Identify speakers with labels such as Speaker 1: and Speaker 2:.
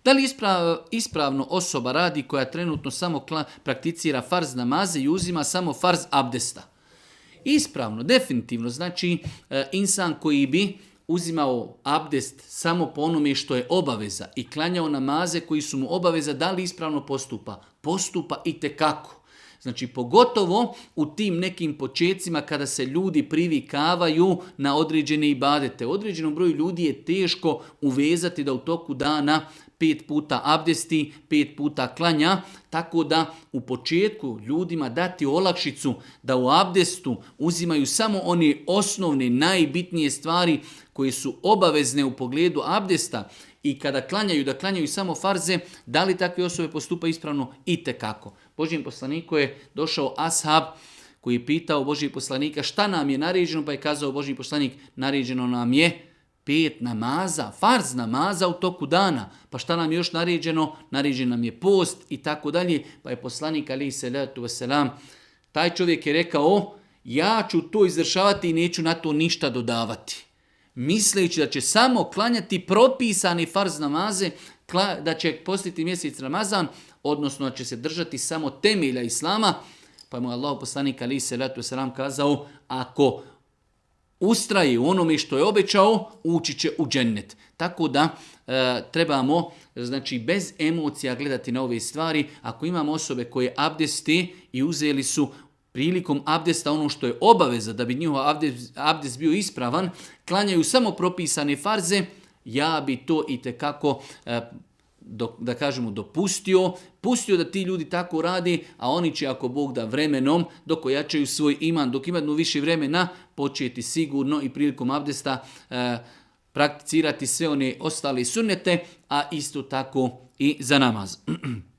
Speaker 1: Da li ispravno osoba radi koja trenutno samo prakticira farz namaze i uzima samo farz abdesta? Ispravno, definitivno. Znači, insan koji bi uzimao abdest samo po onome što je obaveza i klanjao namaze koji su mu obaveza, da li ispravno postupa? Postupa itekako. Znači, pogotovo u tim nekim počecima kada se ljudi privikavaju na određene ibadete. Određenom broju ljudi je teško uvezati da u toku dana 5 puta abdesti, 5 puta klanja, tako da u početku ljudima dati olakšicu da u abdestu uzimaju samo one osnovne, najbitnije stvari koje su obavezne u pogledu abdesta i kada klanjaju, da klanjaju samo farze, da li takve osobe postupa ispravno? Itekako. Božjem poslaniku je došao ashab koji je pitao Božjeg poslanika šta nam je naređeno, pa je kazao Božji poslanik, naređeno nam je 5 namaza, farz namaza u toku dana. Pa šta nam je još naređeno? Naređen nam je post i tako dalje. Pa je poslanik alejhi selatu vesselam, taj čovjek je rekao, ja ću to izvršavati i neću na to ništa dodavati. Misleći da će samo klanjati propisani farz namaze, da će postiti mjesec Ramazan, odnosno da će se držati samo temelja Islama, pa mu Allah poslanik alejhi selatu vesselam kazao, ako ustraje u onome što je obećao, ući će u džennet. Tako da trebamo, znači, bez emocija gledati na ove stvari. Ako imamo osobe koje abdeste i uzeli su prilikom abdesta ono što je obaveza da bi njihov abdest bio ispravan, klanjaju samo propisane farze, ja bi to itekako, da kažemo, pustio da ti ljudi tako radi, a oni će, ako Bog da, vremenom, dok ojačaju svoj iman, dok imaju više vremena, početi sigurno i prilikom abdesta prakticirati sve one ostale sunnete, a isto tako i za namaz.